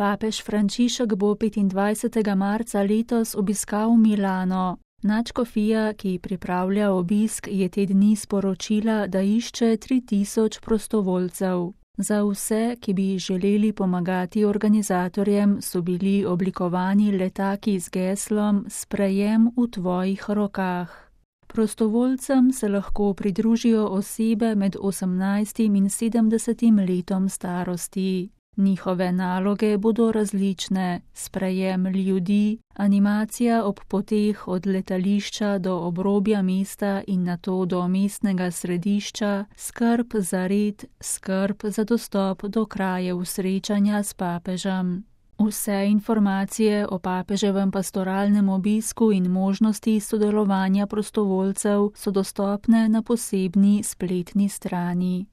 Papež Frančišek bo 25. marca letos obiskal Milano. Nadškofija, ki pripravlja obisk, je te dni sporočila, da išče 3000 prostovoljcev. Za vse, ki bi želeli pomagati organizatorjem, so bili oblikovani letaki z geslom Sprejem v tvojih rokah. Prostovoljcem se lahko pridružijo osebe med 18 in 70 letom starosti. Njihove naloge bodo različne: sprejem ljudi, animacija ob poteh od letališča do obrobja mesta in nato do mestnega središča, skrb za red, skrb za dostop do krajev srečanja s papežem. Vse informacije o papeževem pastoralnem obisku in možnosti sodelovanja prostovoljcev so dostopne na posebni spletni strani.